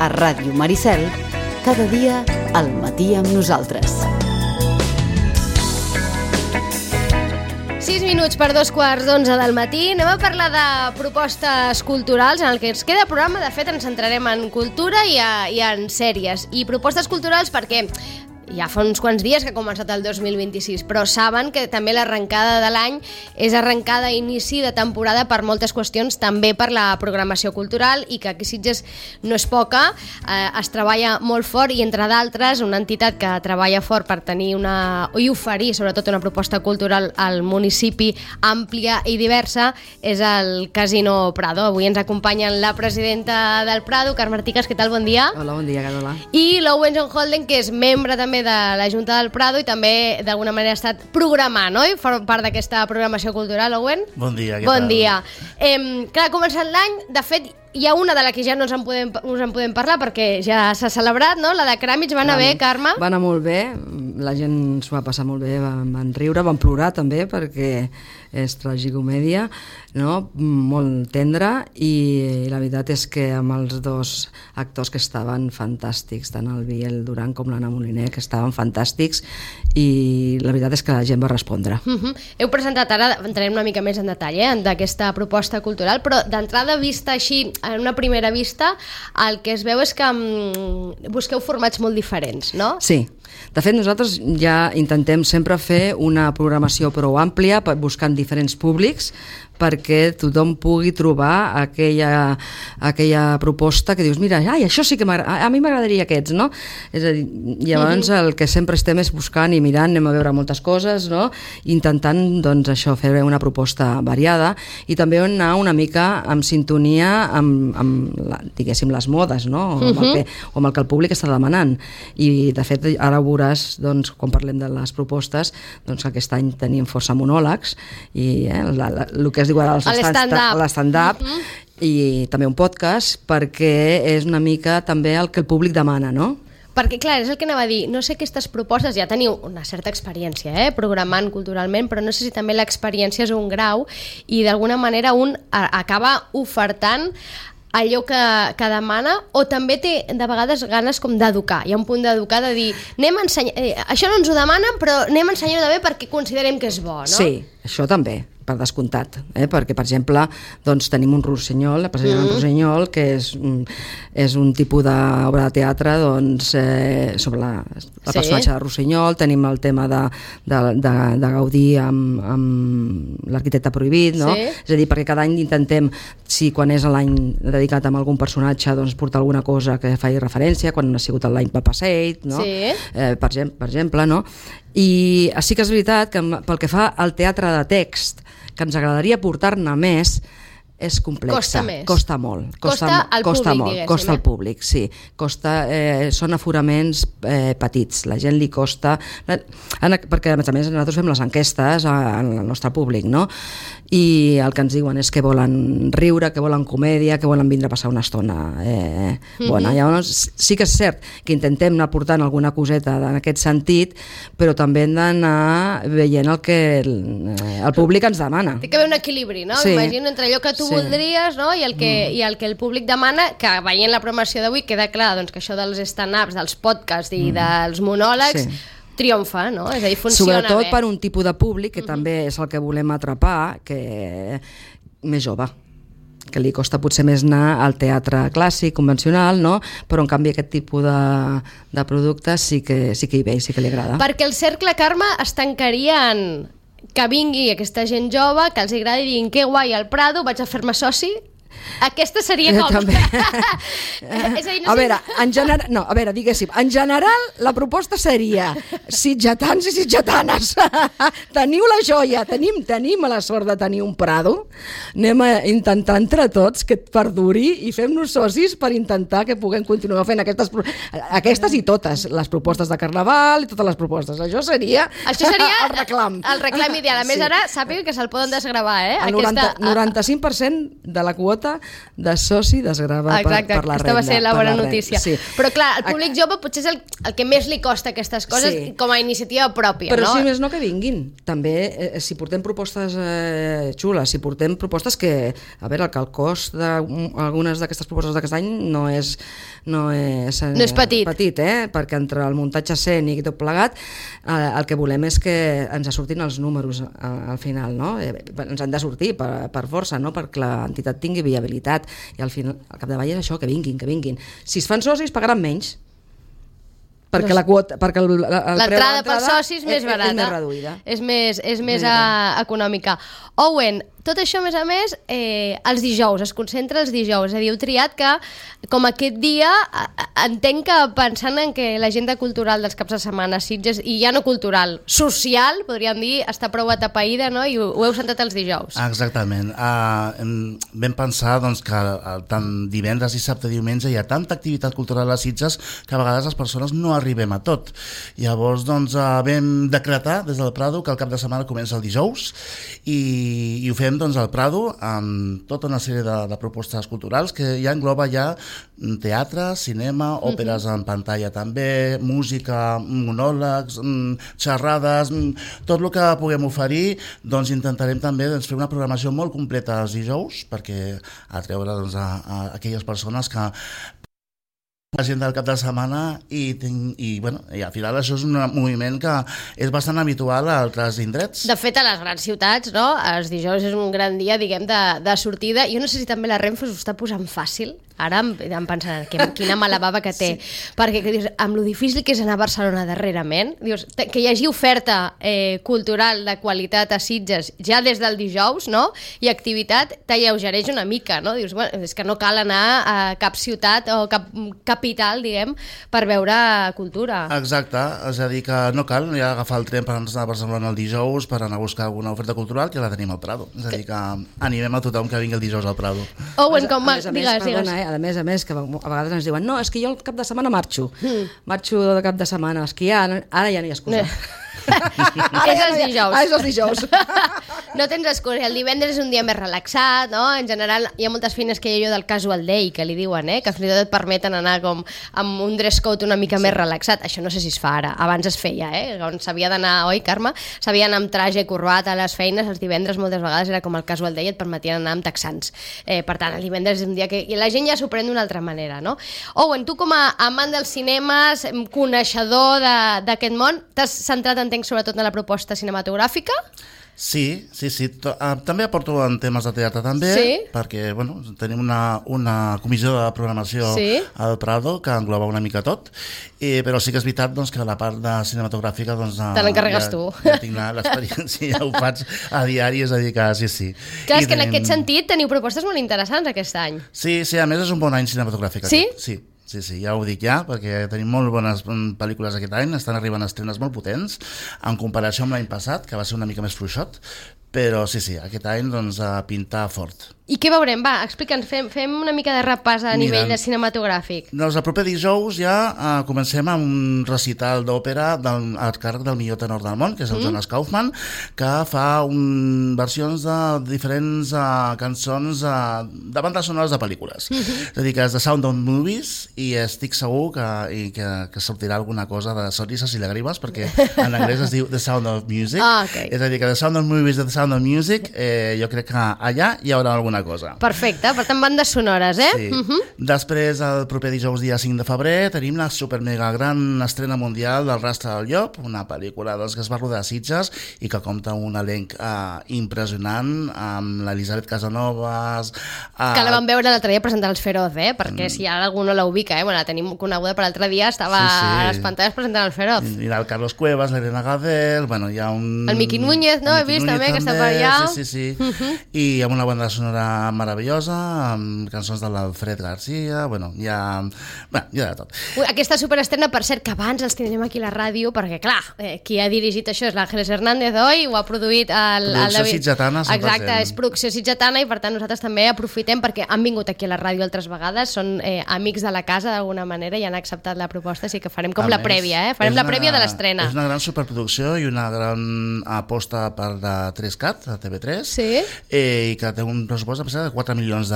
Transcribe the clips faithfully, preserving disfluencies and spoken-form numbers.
a Ràdio Maricel, cada dia al matí amb nosaltres. sis minuts per dos quarts d'onze del matí. Anem a parlar de propostes culturals en el que ens queda programa. De fet, ens centrarem en cultura i, a, i en sèries. I propostes culturals perquè ja fa uns quants dies que ha començat el dos mil vint-i-sis, però saben que també l'arrencada de l'any és arrencada a inici de temporada per moltes qüestions, també per la programació cultural, i que aquí a Sitges no és poca, eh, es treballa molt fort, i entre d'altres una entitat que treballa fort per tenir una, i oferir sobretot una proposta cultural al municipi àmplia i diversa és el Casino Prado. Avui ens acompanyen la presidenta del Prado, Carme Artigas. Què tal? Bon dia. Hola, bon dia, Carola. I l'Owen John Holden, que és membre també de la Junta del Prado i també d'alguna manera ha estat programant, oi? For part d'aquesta programació cultural, Owen? Bon dia, què bon tal? Bon dia. Eh, clar, ha començat l'any, de fet, hi ha una de la que ja no ens en podem, us en podem parlar perquè ja s'ha celebrat, no? La de Cràmits. Va anar bé, Carme? Va anar molt bé, la gent s'ho va passar molt bé, van, van riure, van plorar també perquè és tragicomèdia, no? Molt tendra, i la veritat és que amb els dos actors que estaven fantàstics, tant el Biel Duran com l'Anna Moliner, que estaven fantàstics, i la veritat és que la gent va respondre. Uh-huh. Heu presentat, ara entrarem una mica més en detall, eh, d'aquesta proposta cultural, però d'entrada vista així, en una primera vista, el que es veu és que um, busqueu formats molt diferents, no? Sí. De fet, nosaltres ja intentem sempre fer una programació prou àmplia, buscant diferents públics, perquè tothom pugui trobar aquella, aquella proposta que dius, mira, ai, això sí que a mi m'agradaria aquests, no? És a dir, llavors mm-hmm. el que sempre estem és buscant i mirant, anem a veure moltes coses, no? Intentant, doncs, això, fer una proposta variada, i també anar una mica en sintonia amb, amb la, diguéssim, les modes, no? O amb, el que, o amb el que el públic està demanant. I, de fet, ara ho veuràs, doncs, quan parlem de les propostes, doncs aquest any tenim força monòlegs, i eh, la, la, el que es diu ara l'stand-up, mm-hmm. i també un podcast, perquè és una mica també el que el públic demana, no? Perquè, clar, és el que anava a dir, no sé aquestes propostes, ja teniu una certa experiència, eh, programant culturalment, però no sé si també l'experiència és un grau i d'alguna manera un acaba ofertant allò que, que demana, o també té de vegades ganes com d'educar. Hi ha un punt d'educar, de dir, anem a ensenyar, eh, això no ens ho demanen, però anem a ensenyar-ho de bé perquè considerem que és bo, no? Sí, això també, per descomptat, eh? Perquè, per exemple, doncs, tenim un Rossinyol, la president mm. Rossinyol, que és, és un tipus d'obra de teatre, doncs, eh, sobre la, la sí. personatge de Rossinyol. Tenim el tema de, de, de, de Gaudí amb, amb l'arquitecte prohibit, no? Sí. És a dir, perquè cada any intentem, si quan és l'any dedicat a algun personatge, doncs portar alguna cosa que faci referència, quan ha sigut l'any per Passeig, no? Sí. Eh, per, per exemple, no? I sí que és veritat que pel que fa al teatre de text, que ens agradaria portar-ne més, és complexa. Costa més. Costa molt. Costa, costa al costa públic, molt. diguéssim. Costa al públic, sí. Costa, eh, són aforaments eh, petits. La gent li costa... Perquè, a més a més, nosaltres fem les enquestes al nostre públic, no? I el que ens diuen és que volen riure, que volen comèdia, que volen vindre a passar una estona eh, bona. Mm-hmm. Llavors, sí que és cert que intentem anar portant alguna coseta en aquest sentit, però també hem d'anar veient el que el, el públic ens demana. Té que haver un equilibri, no? Sí. Imagino entre allò que tu sí. voldries, no? I el que, mm. i el que el públic demana, que veient la programació d'avui queda clar, doncs, que això dels stand-ups, dels podcasts i mm. dels monòlegs sí. triomfa, no? És a dir, funciona sobretot bé. Per un tipus de públic que mm-hmm. també és el que volem atrapar, que més jove, que li costa potser més anar al teatre clàssic, convencional, no? Però en canvi aquest tipus de, de productes sí que, sí que hi ve i sí que li agrada. Perquè el cercle, Carme, es tancaria en que vingui aquesta gent jove, que els agradi, diguin que guai el Prado, vaig a fer-me soci. Aquesta seria com... També. És a dir, no a sé... veure, en general, no, a veure, diguéssim, en general la proposta seria sitgetans i sitgetanes, teniu la joia, tenim, tenim la sort de tenir un Prado, anem a intentar entre tots que et perduri i fem-nos socis per intentar que puguem continuar fent aquestes, aquestes i totes, les propostes de Carnaval i totes les propostes. Això seria, Això seria el reclam. El reclam ideal. A més, sí. ara sàpiga que se'l poden desgravar, eh? El noranta, noranta-cinc per cent de la quota quota de soci desgrava per, per la renda. Exacte, aquesta va ser la bona notícia. Sí. Però clar, el públic jove potser és el, el que més li costa aquestes coses sí. com a iniciativa pròpia. Però no? si més no que vinguin. També, eh, si portem propostes eh, xules, si portem propostes que, a veure, que el cost d'algunes d'aquestes propostes d'aquest any no és, no és, eh, no és petit, petit eh? Perquè entre el muntatge escènic i tot plegat, eh, el que volem és que ens surtin els números al, al final, no? Eh, ens han de sortir per, per força, no? Perquè l'entitat tingui viabilitat, i al final, al capdavall és això, que vinguin, que vinguin. Si es fan socis pagaran menys, perquè la quota, perquè el, el l'entrada per socis és més barata, és més reduïda, és més, és més, més a, econòmica. Owen, tot això, a més a més, eh, els dijous, es concentra els dijous, és a dir, heu triat que, com aquest dia, entenc que pensant en que l'agenda cultural dels caps de setmana, Sitges, i ja no cultural, social, podríem dir, està prou atapeïda, no? I ho, ho heu centrat els dijous. Exactament. Uh, vam pensar doncs, que uh, tant divendres, dissabte, diumenge hi ha tanta activitat cultural a Sitges que a vegades les persones no arribem a tot. Llavors, doncs, uh, vam decretar des del Prado que el cap de setmana comença el dijous i, i ho fem doncs, al Prado amb tota una sèrie de, de propostes culturals que ja engloba ja teatre, cinema, òperes en pantalla també, música, monòlegs, xerrades, tot el que puguem oferir, doncs intentarem també doncs, fer una programació molt completa els dijous perquè atreure doncs, a, a aquelles persones que la gent del cap de setmana i, i, bueno, i al final això és un moviment que és bastant habitual a altres indrets. De fet, a les grans ciutats, no? Els dijous és un gran dia, diguem, de, de sortida. Jo no sé si també la Renfe s'ho està posant fàcil. Ara em, em pensant que, quina mala bava que té. Sí. Perquè que dius, amb lo difícil que és anar a Barcelona darrerament, dius, que hi hagi oferta eh, cultural de qualitat a Sitges ja des del dijous, no? I activitat t'alleugereix una mica, no? Dius, bueno, és que no cal anar a cap ciutat o cap capital, diguem, per veure cultura. Exacte, és a dir que no cal ja agafar el tren per anar a Barcelona el dijous per anar a buscar alguna oferta cultural, que la tenim al Prado. És a dir que animem a tothom que vingui el dijous al Prado. Owen, com a, a, a més, digues, perdona, digues. Eh? A més a més, que a vegades ens diuen no, és que jo el cap de setmana marxo mm. marxo de cap de setmana, és que ja, ara ja no hi ha excusa. És els dijous. Ah, és els dijous. No tens excusa. El divendres és un dia més relaxat, no? En general, hi ha moltes feines que hi ha allò del casual day, que li diuen, eh? Que fins i tot et permeten anar com amb un dress code una mica sí. més relaxat. Això no sé si es fa ara. Abans es feia, eh? On s'havia d'anar, oi, Carme? S'havia d'anar amb traje i corbata a les feines. Els divendres moltes vegades era com el casual day, et permetien anar amb texans. Eh, per tant, el divendres és un dia que... I la gent ja s'ho pren d'una altra manera, no? Owen, tu com a amant dels cinemes, coneixedor d'aquest món, t'has centrat en sobretot en la proposta cinematogràfica? Sí, sí, sí. També aporto en temes de teatre també, sí? Perquè bueno, tenim una, una comissió de programació sí? al Prado que engloba una mica tot, i, però sí que és veritat doncs, que la part de cinematogràfica doncs, te l'encarregues ja, tu. Ja tinc l'experiència, ja ho faig a diari, és a dir que sí, sí. Clar, és que tenim... en aquest sentit teniu propostes molt interessants aquest any. Sí, sí, a més és un bon any cinematogràfic. Sí? Aquest. Sí. Sí, sí, ja ho dic ja, perquè tenim molt bones pel·lícules aquest any, estan arribant estrenes molt potents, en comparació amb l'any passat, que va ser una mica més fluixot, però sí, sí, aquest any doncs a pintar fort. I què veurem? Va, explica'ns, fem, fem una mica de repàs a Mira, nivell de cinematogràfic. Doncs el proper dijous ja uh, comencem amb un recital d'òpera al càrrec del millor tenor del món, que és el mm. Jonas Kaufmann, que fa un, versions de diferents uh, cançons uh, de bandes sonores de pel·lícules. Mm -hmm. És a dir, que és The Sound of Movies, i estic segur que, i que, que sortirà alguna cosa de sonrises i llàgrimes, perquè en anglès es diu The Sound of Music. Ah, okay. És a dir, que The Sound of Movies i The Sound of Music, eh, jo crec que allà hi haurà alguna cosa. Perfecte, per tant bandes sonores, eh? Sí. Uh -huh. Després, el proper dijous dia cinc de febrer, tenim la super mega gran estrena mundial del Rastre del Llop, una pel·lícula doncs, que es va rodar a Sitges i que compta un elenc eh, impressionant, amb l'Elisabet Casanovas... Eh... Que la vam veure l'altre dia presentar els Feroz, eh? Perquè mm. si algú no la ubica, eh? Bueno, la tenim coneguda per l'altre dia, estava sí, sí. a les pantalles presentant els Feroz. I, i el Carlos Cuevas, l'Helena Gadel, bueno, hi ha un... El Miqui Núñez, no? He vist Núñez també, que està per allà. Sí, sí, sí. Uh -huh. I amb una banda sonora meravellosa, amb cançons de l'Alfred Garcia, bueno, hi ha, bueno, hi ha de tot. Ui, aquesta superestrena, per cert, que abans els tindrem aquí a la ràdio, perquè clar, eh, qui ha dirigit això és l'Àngeles Hernández, oi? Ho ha produït el, producció el David... sitgetana, cent per cent. Exacte, és producció sitgetana i per tant nosaltres també aprofitem perquè han vingut aquí a la ràdio altres vegades, són eh, amics de la casa d'alguna manera i han acceptat la proposta, així que farem com a la més, prèvia, eh? Farem la prèvia de l'estrena. És una gran superproducció i una gran aposta per la tres cat, la T V tres, sí? eh, i que té un pressupost pressupost de quatre milions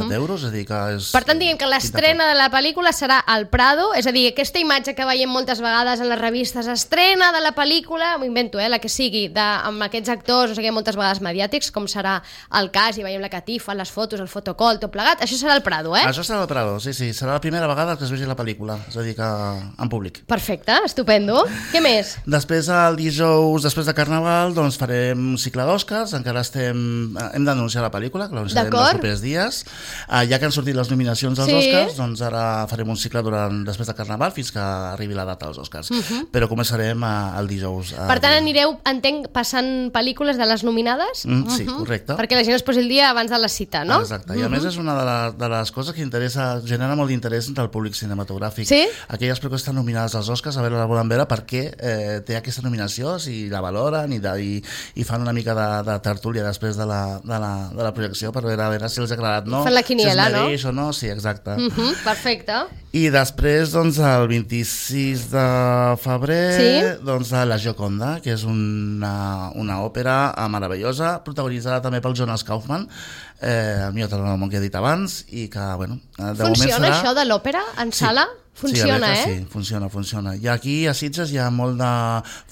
d'euros, és a dir que és... Per tant, diguem que l'estrena de la pel·lícula serà al Prado, és a dir, aquesta imatge que veiem moltes vegades en les revistes, estrena de la pel·lícula, m'ho invento, eh, la que sigui, de, amb aquests actors, no sé què, moltes vegades mediàtics, com serà el cas, i veiem la catifa, les fotos, el fotocall, tot plegat, això serà al Prado, eh? Això serà al Prado, sí, sí, serà la primera vegada que es vegi la pel·lícula, és a dir, que en públic. Perfecte, estupendo. Què més? Després, el dijous, després de Carnaval, doncs farem un cicle d'Oscars, encara estem... hem d'anunciar la pel·lícula, que l'anunciarem els propers dies. Uh, ja que han sortit les nominacions als sí. Oscars, doncs ara farem un cicle durant, després de Carnaval fins que arribi la data dels Oscars. Uh -huh. Però començarem uh, el dijous. Uh, per tant, anireu, entenc, passant pel·lícules de les nominades? Mm, sí, uh -huh. correcte. Perquè la gent es posi el dia abans de la cita, no? Exacte. I a uh -huh. més és una de, la, de les coses que interessa, genera molt d'interès entre el públic cinematogràfic. Sí? Aquelles pel·lícules que estan nominades als Oscars, a veure, la volen veure perquè eh, té aquesta nominació, si la valoren i, de, i, i fan una mica de, de tertúlia després de la, de la, de la projecció per veure, a veure si els ha agradat, no? Fan la quiniela, si no? o no? Sí, exacte. Uh -huh, perfecte. I després, doncs, el vint-i-sis de febrer, sí? doncs, La Gioconda, que és una, una òpera meravellosa, protagonitzada també pel Jonas Kaufman, eh, el millor tenor que he dit abans, i que, bueno, de Funciona moment serà... això de l'òpera en sí. sala? Funciona, sí, eh? Sí, funciona, funciona. I aquí a Sitges hi ha molt de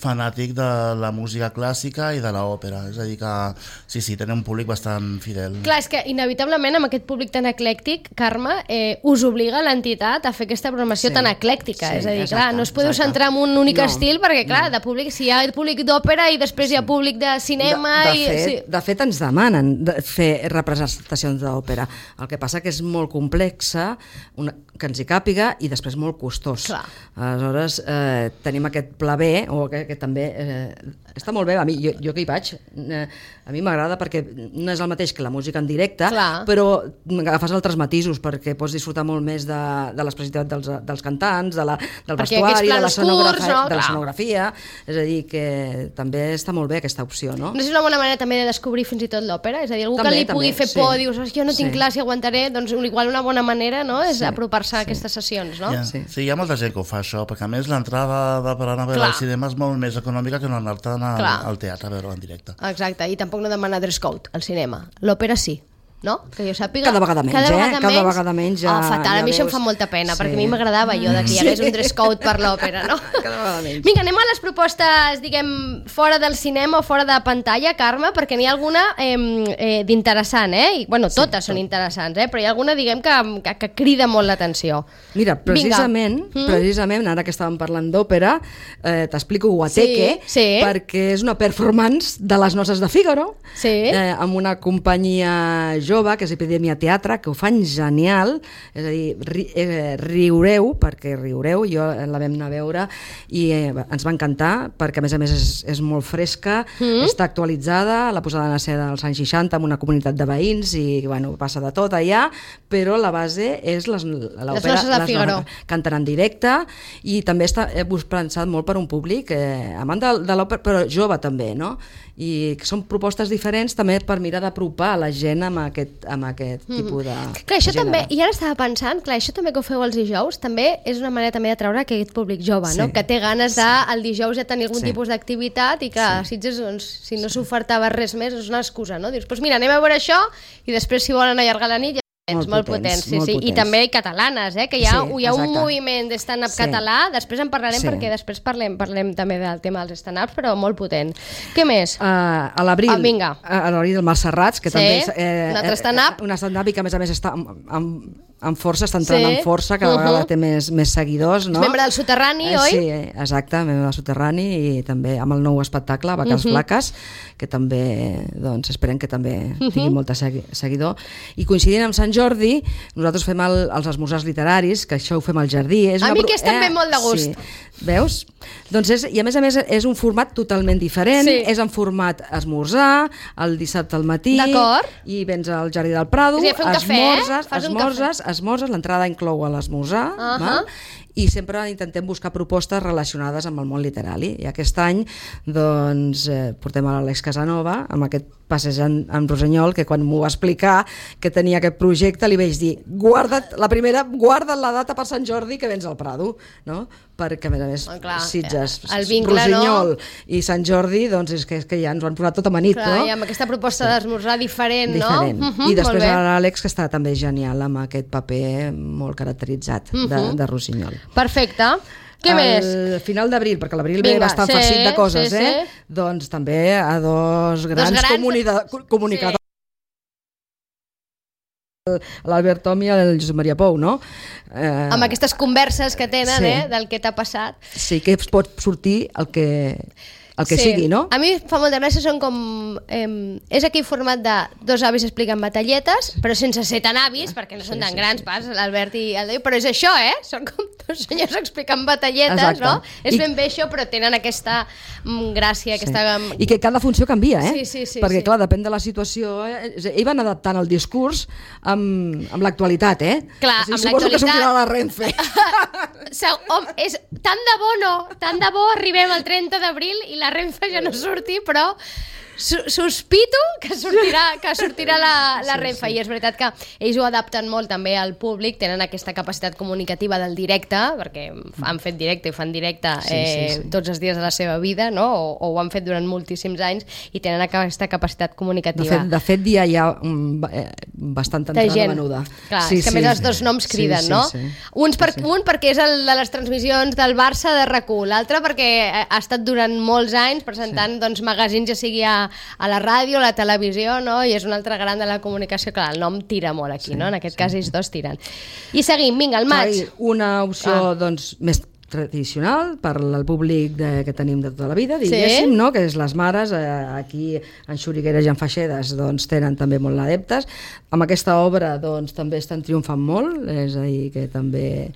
fanàtic de la música clàssica i de l'òpera, és a dir que sí, sí, tenen un públic bastant fidel. Clar, és que inevitablement amb aquest públic tan eclèctic, Carme, eh, us obliga l'entitat a fer aquesta programació sí, tan eclèctica, sí, és a dir, exacte, clar, no us podeu exacte. centrar en un únic no, estil, perquè clar, no. de públic, si hi ha públic d'òpera i després sí. hi ha públic de cinema... De, de, i, fet, sí. de fet, ens demanen de fer representacions d'òpera. El que passa que és molt complexa, una, que ens hi càpiga, i després molt costós. Clar. Aleshores, eh, tenim aquest pla B, o que, que també eh, està molt bé, a mi, jo, jo que hi vaig, eh, a mi m'agrada perquè no és el mateix que la música en directe, Clar. però agafes altres matisos perquè pots disfrutar molt més de, de l'expressivitat dels, dels cantants, de la, del perquè vestuari, de la, escenografia, no? de la escenografia, és a dir, que també està molt bé aquesta opció, no? No és una bona manera també de descobrir fins i tot l'òpera, és a dir, algú també, que li també, pugui fer sí. por, dius, jo no tinc sí. clar si aguantaré, doncs igual una bona manera, no?, és sí. apropar-se a sí. aquestes sessions, no? Yeah. Sí. sí, hi ha molta gent que ho fa això, perquè a més l'entrada de per anar a veure al cinema és molt més econòmica que no anar-te'n al, al teatre a veure-ho en directe. Exacte, i tampoc no demana dress code al cinema. L'òpera sí. No? Que jo sàpiga... Cada vegada menys, cada eh? vegada Cada menys, vegada menys ja... Oh, fatal, ja a mi això em veus... fa molta pena, sí. perquè a mi m'agradava jo de que hi hagués un dress code per l'òpera, no? Cada vegada menys. Vinga, anem a les propostes, diguem, fora del cinema o fora de pantalla, Carme, perquè n'hi ha alguna eh, eh, d'interessant, eh? I, bueno, totes sí, són tot. interessants, eh? Però hi ha alguna, diguem, que, que, que crida molt l'atenció. Mira, precisament, mm? precisament, ara que estàvem parlant d'òpera, eh, t'explico Guateque, sí, sí. perquè és una performance de les Noces de Fígaro, sí. eh, amb una companyia jove, que és Epidèmia Teatre, que ho fan genial, és a dir, ri, eh, riureu, perquè riureu, jo la vam anar a veure i eh, ens va encantar, perquè a més a més és, és molt fresca, mm. està actualitzada, la posada en escena dels anys seixanta amb una comunitat de veïns i bueno, passa de tot allà, però la base és les, l'òpera, les Noces de Fígaro. Canten en directe i també està eh, pensat molt per un públic eh, amant de, de l'òpera, però jove també, no? I que són propostes diferents també per mirar d'apropar la gent amb aquest, amb aquest mm. tipus de, clar, això de gènere. També, i ara estava pensant, clar, això també que ho feu els dijous, també és una manera també de treure aquest públic jove, sí. no? Que té ganes de, sí. el dijous ja tenir algun sí. tipus d'activitat i que sí. Sitges, doncs, si no s'ofertava res més és una excusa, no? Dius, doncs mira, anem a veure això i després si volen allargar la nit ja Molt, molt potents, sí, molt sí. potents. I també catalanes, eh? Que hi ha, sí, hi ha un moviment de stand-up sí. català, després en parlarem sí. perquè després parlem, parlem també del tema dels stand-ups, però molt potent. Què més? Uh, a l'abril, ah, vinga. a l'abril del Malserrats, que sí. també és eh, un altre stand-up. Una stand-up i que a més a més està amb, amb, amb força, està entrant sí. amb força, cada uh -huh. vegada té més, més seguidors. No? És membre del Soterrani, eh, oi? Sí, exacte, membre del Soterrani i també amb el nou espectacle, Vaques uh -huh. Flaques, que també, doncs, esperem que també tingui uh -huh. molta segui seguidor. I coincidint amb Sant Jordi, nosaltres fem el, els esmorzars literaris, que això ho fem al jardí. És a una mi que és també eh? molt de gust. Sí. Veus? Doncs és, i a més a més és un format totalment diferent, sí. és en format esmorzar, el dissabte al matí, i vens al Jardí del Prado, sí, esmorzes, cafè, eh? esmorzes, esmorzes, l'entrada inclou l'esmorzar, uh -huh. i sempre intentem buscar propostes relacionades amb el món literari. I aquest any doncs, eh, portem a l'Àlex Casanova amb aquest passejant amb Rossinyol, que quan m'ho va explicar que tenia aquest projecte li vaig dir, guarda't la primera, guarda't la data per Sant Jordi que vens al Prado, no? perquè a més a més oh, clar, Sitges, el vincle, Rossinyol no? i Sant Jordi, doncs és que, és que ja ens ho han posat tot amanit, clar, no? I amb aquesta proposta sí. d'esmorzar diferent, diferent. no? Uh -huh, I després l'Àlex, que està també genial amb aquest paper molt caracteritzat uh -huh. de, de Rossinyol. Perfecte. Què al més? final d'abril, perquè l'abril ve bastant sí, farcit de coses, sí, eh? sí. Doncs també a dos grans, grans... comunica... comunicadors. Sí. L'Albert Tom i el Josep Maria Pou, no? Eh... Amb aquestes converses que tenen, sí. eh? Del que t'ha passat. Sí, que pot sortir el que... el que sí. sigui, no? A mi fa molta gràcia, són com... Eh, és aquell format de dos avis expliquen batalletes, però sense ser tan avis, perquè no són tan sí, sí, grans, sí. pas, l'Albert i el Déu, però és això, eh? Són com dos senyors explicant batalletes, Exacte. no? És I... ben bé això, però tenen aquesta mm, gràcia, sí. aquesta... I que cada funció canvia, eh? Sí, sí, sí. Perquè, sí. clar, depèn de la situació. Eh? Ells van adaptant el discurs amb, amb l'actualitat, eh? Clar, o sigui, amb suposo l'actualitat... que sortirà la Renfe. Home, és, tant de bo no, tant de bo arribem al trenta d'abril i la Renfe ja no surti, però sospito que sortirà, que sortirà la, la sí, Renfe sí. I és veritat que ells ho adapten molt també al públic, tenen aquesta capacitat comunicativa del directe, perquè han fet directe i fan directe sí, eh, sí, sí. tots els dies de la seva vida, no? o, o ho han fet durant moltíssims anys i tenen aquesta capacitat comunicativa. De fet, de fet ja hi ha um, bastanta entrada gent. menuda. Clar, sí, és que a sí. més els dos noms criden, sí, sí, no? Sí, sí. Uns per, sí, sí. Un perquè és el de les transmissions del Barça de RAC u, l'altre perquè ha estat durant molts anys presentant sí. doncs, magazins, ja sigui a a la ràdio, a la televisió, no? I és un altre gran de la comunicació. Clar, el nom tira molt aquí, sí, no? En aquest sí. cas ells dos tiren. I seguim, vinga, el maig. Una opció, ah. doncs, més tradicional per al públic de, que tenim de tota la vida, diguéssim, sí. no? Que és les mares, eh, aquí en Xurigueres i en Faixedes doncs, tenen també molt adeptes. Amb aquesta obra doncs, també estan triomfant molt, és a dir, que també eh,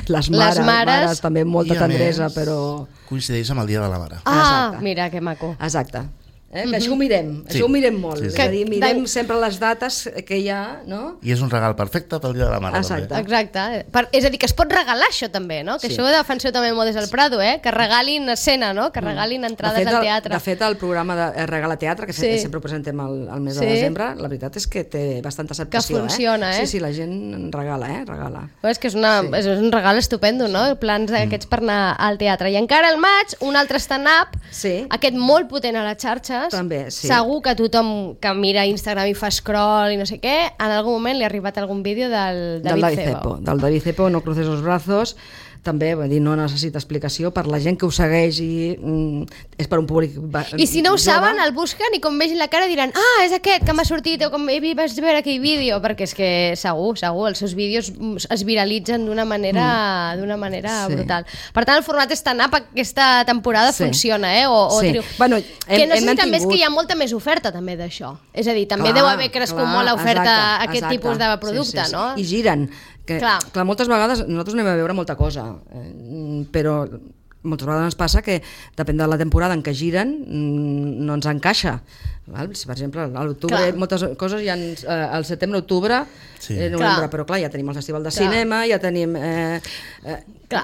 les, mares, les mares, mares també molta tendresa, més, però... coincideix amb el Dia de la Mare. Ah, Exacte. Mira, que maco. Exacte. Eh? Que això ho mirem, sí. això ho mirem molt. Sí, sí. És a dir, mirem sempre les dates que hi ha, no? I és un regal perfecte pel Dia de la Mare. Exacte. També. Exacte. Per, és a dir, que es pot regalar això també, no? Que sí. Això ho defenseu també molt des del Prado, eh? Que regalin escena, no? Que regalin entrades fet, al teatre. De fet, el programa de Regala Teatre, que sí. sempre ho presentem al, al mes sí. de desembre, la veritat és que té bastanta acceptació. Que funciona, eh? eh? Sí, sí, la gent regala, eh? Regala. Pues és que és, una, sí. és un regal estupendo, no? Plans d'aquests mm. per anar al teatre. I encara al maig, un altre stand-up, sí. aquest molt potent a les xarxes. També, sí. Segur que tothom que mira Instagram i fa scroll i no sé què, en algun moment li ha arribat algun vídeo del David, del David Cebo. Cepo. Del David Cepo, No cruces los brazos, també, vull dir, no necessita explicació per la gent que ho segueix i mm, és per un públic I si no ho jove. saben, el busquen i com vegin la cara diran ah, és aquest que m'ha sortit o com vaig veure aquell vídeo, perquè és que segur, segur, els seus vídeos es viralitzen d'una manera, mm. d'una manera sí. brutal. Per tant, el format stand-up aquesta temporada sí. funciona, eh? O, o sí. triu... bueno, hem, que no sé si també tingut... és que hi ha molta més oferta també d'això. És a dir, també clar, deu haver crescut clar, molt l'oferta exacte, aquest exacte. tipus de producte, sí, sí, sí. no? I giren. Que, clar. clar, moltes vegades nosaltres anem a veure molta cosa, eh, però moltes vegades ens passa que depèn de la temporada en què giren no ens encaixa. Val? Si, per exemple, a l'octubre moltes coses ja en, eh, al setembre-octubre sí. eh, novembre, clar. Però clar, ja tenim el festival de clar. cinema, ja tenim eh, eh,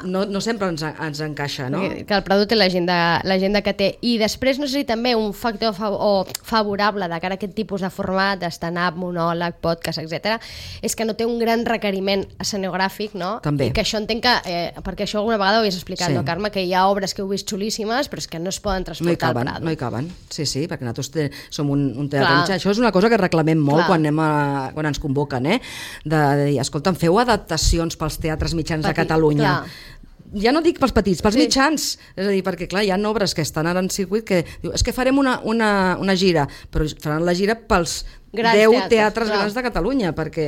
no, no sempre ens, ens encaixa, no? Que el producte té l'agenda l'agenda que té. I després no sé si també un factor fav o favorable de cara a aquest tipus de format, de stand-up, monòleg, podcast, etcètera, és que no té un gran requeriment escenogràfic, no? També. I que això entenc que, eh, perquè això alguna vegada ho havies explicat, sí. no, Carme? Que hi ha obres que heu vist xulíssimes, però és que no es poden transportar no caben, al Prado. No hi caben, sí, sí, perquè nosaltres te, som un, un teatre mitjà. Això és una cosa que reclamem molt clar. quan anem a, quan ens convoquen, eh? De, de dir, escolta'm, feu adaptacions pels teatres mitjans Petit, de Catalunya. Clar. Ja no dic pels petits, pels sí. mitjans. És a dir, perquè clar, hi ha obres que estan ara en circuit que diu, és que farem una, una, una gira, però faran la gira pels grans deu teatres, teatres grans de Catalunya, perquè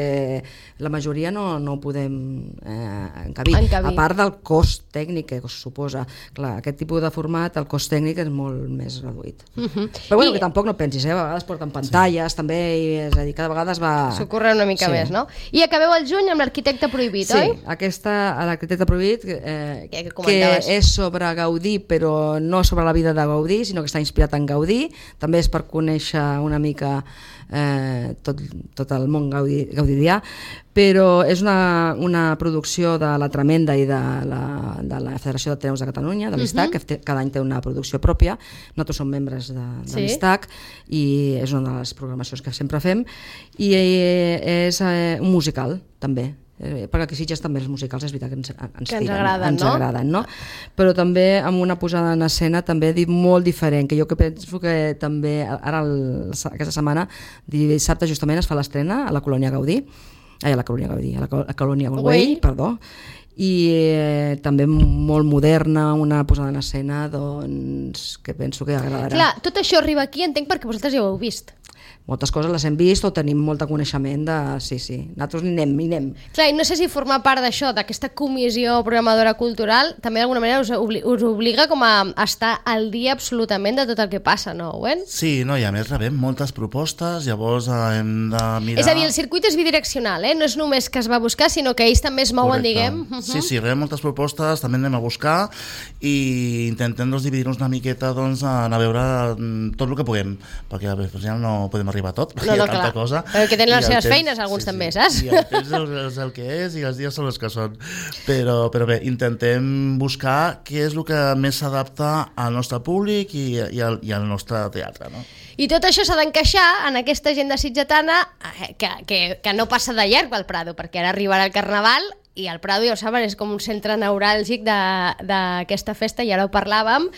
la majoria no, no ho podem eh, encabir. encabir. A part del cost tècnic que es suposa. Clar, aquest tipus de format, el cost tècnic és molt més reduït. Uh -huh. Però bueno, I... que tampoc no pensis, eh? A vegades porten pantalles, sí. també, i, és a dir, cada vegada es va... S'ho corre una mica sí. més, no? I acabeu el juny amb l'Arquitecte Prohibit, sí, oi? Sí, aquesta, l'Arquitecte Prohibit, eh, que, que és sobre Gaudí, però no sobre la vida de Gaudí, sinó que està inspirat en Gaudí. També és per conèixer una mica eh, tot, tot el món gaudí, gaudidià, però és una, una producció de la Tremenda i de la, de la Federació d'Ateneus de Catalunya, de l'I S T A C, uh-huh. que cada any té una producció pròpia. Nosaltres som membres de, de sí. l'I S T A C i és una de les programacions que sempre fem, i és eh, un musical també. eh, perquè aquí a Sitges també els musicals és veritat que ens, ens, que ens tiren, agraden, ens no? agraden, no? Però també amb una posada en escena també dit molt diferent, que jo que penso que també ara el, aquesta setmana, dissabte justament es fa l'estrena a la Colònia Gaudí, ai, a la Colònia Gaudí, a la, a la Colònia Güell, perdó, i eh, també molt moderna, una posada en escena doncs, que penso que agradarà. Clar, tot això arriba aquí, entenc, perquè vosaltres ja ho heu vist. Moltes coses les hem vist o tenim molt de coneixement de... Sí, sí, nosaltres hi anem, hi anem. Clar, i no sé si formar part d'això, d'aquesta comissió programadora cultural, també d'alguna manera us, obli us obliga com a estar al dia absolutament de tot el que passa, no, Owen? Sí, no, i a més rebem moltes propostes, llavors eh, hem de mirar... És a dir, el circuit és bidireccional, eh? No és només que es va buscar, sinó que ells també es mouen, Correcte. diguem. Uh -huh. Sí, sí, rebem moltes propostes, també anem a buscar i intentem doncs, dividir-nos una miqueta doncs, anar a veure tot el que puguem, perquè al final no podem arribar a tot, perquè No, no, hi ha tanta clar. cosa. Perquè tenen les I el seves temps- feines, alguns sí, també, sí. saps? I el temps és el que és i els dies són els que són. Però, però bé, intentem buscar què és el que més s'adapta al nostre públic i, i, al, i al nostre teatre, no? I tot això s'ha d'encaixar en aquesta agenda sitgetana eh, que, que, que no passa de llarg al Prado, perquè ara arribarà el Carnaval i el Prado, ja ho saben, és com un centre neuràlgic d'aquesta festa, i ara ho parlàvem,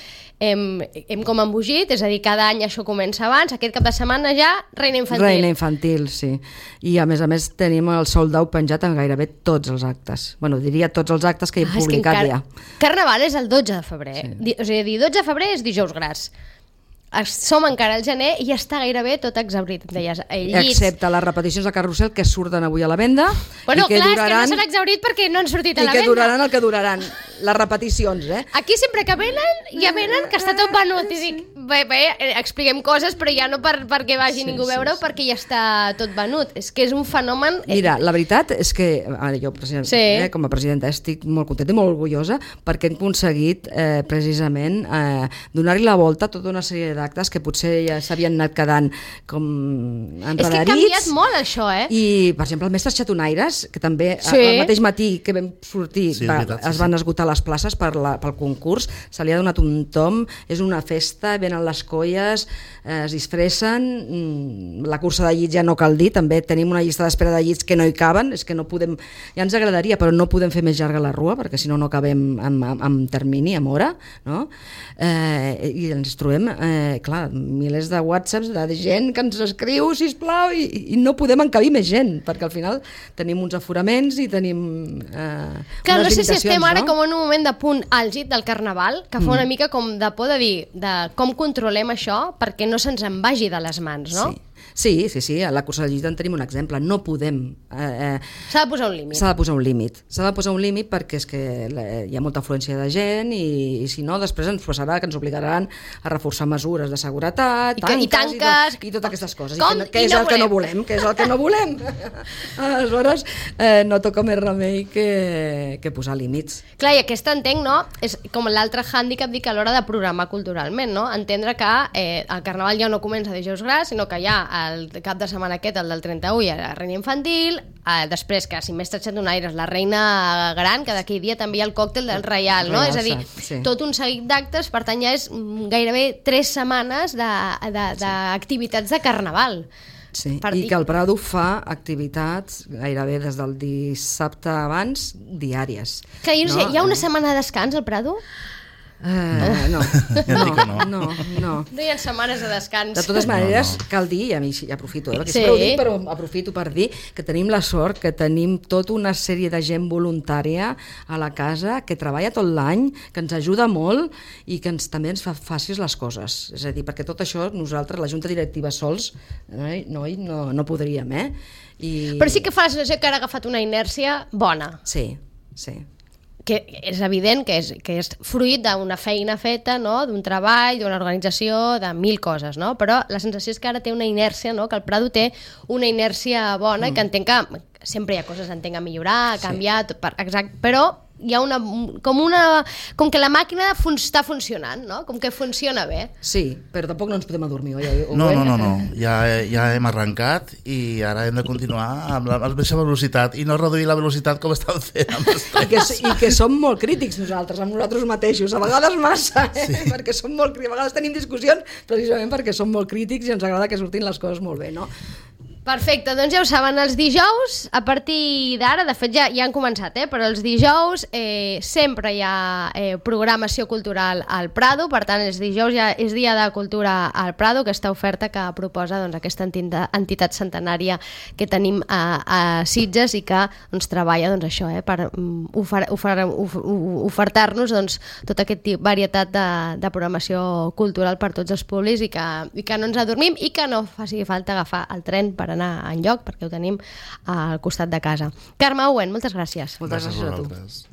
hem, hem com embogit, és a dir, cada any això comença abans, aquest cap de setmana ja Reina Infantil. Reina Infantil, sí. I a més a més tenim el sold out penjat en gairebé tots els actes. Bueno, diria tots els actes que he Ah, és que publicat encara... ja. Carnaval és el dotze de febrer, Sí. Di- o sigui, dotze de febrer és dijous gras. Es- Som encara al gener i ja està gairebé tot exaurit, em deies. Eh, llits. Excepte les repeticions de Carrusel que surten avui a la venda. Bueno, i que clar, duraran, és que no s'han exaurit perquè no han sortit a i la que venda. duraran el que duraran. Les repeticions, eh? Aquí sempre que venen, ja venen que està tot venut. I dic, bé, bé, eh, expliquem coses, però ja no per, perquè vagi Sí, ningú a sí, veure-ho, sí. perquè ja està tot venut. És que és un fenomen... eh, Mira, la veritat és que ara jo president, Sí. eh, com a presidenta estic molt contenta i molt orgullosa perquè hem aconseguit eh, precisament eh, donar-li la volta a tota una sèrie d'actes que potser ja s'havien anat quedant com És que ha enredarits. canviat molt això, eh? I, per exemple, el Mestre Xatonaires, que també Sí. el mateix matí que vam sortir Sí, és va, veritat, sí, es van esgotar les places per la, pel concurs, se li ha donat un tom, és una festa, venen les colles, eh, es disfressen, mm, la cursa de llits ja no cal dir, també tenim una llista d'espera de llits que no hi caben, és que no podem, ja ens agradaria, però no podem fer més llarga la rua, perquè si no no acabem amb, amb, amb termini, amb hora, no? Eh, i ens trobem, eh, clar, milers de whatsapps de gent que ens escriu, sisplau, i, i no podem encabir més gent, perquè al final tenim uns aforaments i tenim eh, Que no unes sé si estem limitacions, ara no? com en un moment de punt àlgid del Carnaval, que fa una mica com de por de dir de com controlem això perquè no se'ns en vagi de les mans, no? Sí. Sí, sí, sí, a la cursa de llit en tenim un exemple, no podem... Eh, eh, S'ha de posar un límit. S'ha de posar un límit. S'ha de posar un límit perquè és que la- hi ha molta afluència de gent i, i si no, després ens passarà que ens obligaran a reforçar mesures de seguretat, I que- i tanques, tanques. i, to, i totes aquestes coses. Com? I que, no- que I és no el que no volem. volem, que és el que no volem. Aleshores, eh, no toca més remei que, que posar límits. Clar, i aquesta entenc, no? És com l'altre hàndicap, dic, a l'hora de programar culturalment, no? Entendre que eh, el Carnaval ja no comença dijous gras, sinó que ja el cap de setmana aquest, el del trenta-u, hi ha la Reina Infantil, eh, després que si més tratxat donaires la Reina Gran, que d'aquell dia també hi ha el còctel del Reial, no? Reial, És a dir, sí. tot un seguit d'actes, per tant ja és mm, gairebé tres setmanes d'activitats de, de, de Carnaval. Sí, Per i dir- que el Prado fa activitats gairebé des del dissabte abans diàries. Que jo no, sé, No? hi ha una setmana de descans al Prado? Eh, no, Ja dic que no, no. no, no. No hi ha setmanes de descans. De totes maneres, No, no. cal dir, i a mi sí, ja aprofito, eh, perquè Sí. sempre ho dic, però aprofito per dir que tenim la sort que tenim tota una sèrie de gent voluntària a la casa que treballa tot l'any, que ens ajuda molt i que ens, també ens fa fàcils les coses. És a dir, perquè tot això nosaltres, la Junta Directiva sols, eh, no, no, no podríem, eh? I... Però sí que fa la sensació que ara ha agafat una inèrcia bona, Sí, sí. que és evident que és, que és fruit d'una feina feta, no? D'un treball, d'una organització, de mil coses, no? Però la sensació és que ara té una inèrcia, no? Que el Prado té una inèrcia bona mm. i que entenc que sempre hi ha coses entenc a millorar, a canviar, tot per, exacte, però hi ha una, com una, com que la màquina fun, està funcionant, no? Com que funciona bé. Sí, però tampoc no ens podem adormir, oi? No, no, no, no. Ja, ja hem arrencat i ara hem de continuar amb la mateixa velocitat i no reduir la velocitat com estan fent amb els I que, I que som molt crítics nosaltres, amb nosaltres mateixos, a vegades massa, eh? Sí. Perquè som molt crítics, a vegades tenim discussions precisament perquè som molt crítics i ens agrada que surtin les coses molt bé, no? Perfecte, doncs ja ho saben, els dijous, a partir d'ara, de fet ja, ja han començat, eh? Però els dijous eh, sempre hi ha eh, programació cultural al Prado, per tant els dijous ja és dia de cultura al Prado, aquesta oferta que proposa doncs, aquesta entitat, entitat centenària que tenim a, a Sitges i que doncs, treballa doncs, això, eh, per um, ofer, ofer, ofer, ofertar-nos doncs, tota aquesta varietat de, de programació cultural per tots els públics i que, i que no ens adormim i que no faci falta agafar el tren per anar enlloc, perquè ho tenim al costat de casa. Carme Owen, moltes gràcies. Moltes gràcies, gràcies a tu. Vosaltres.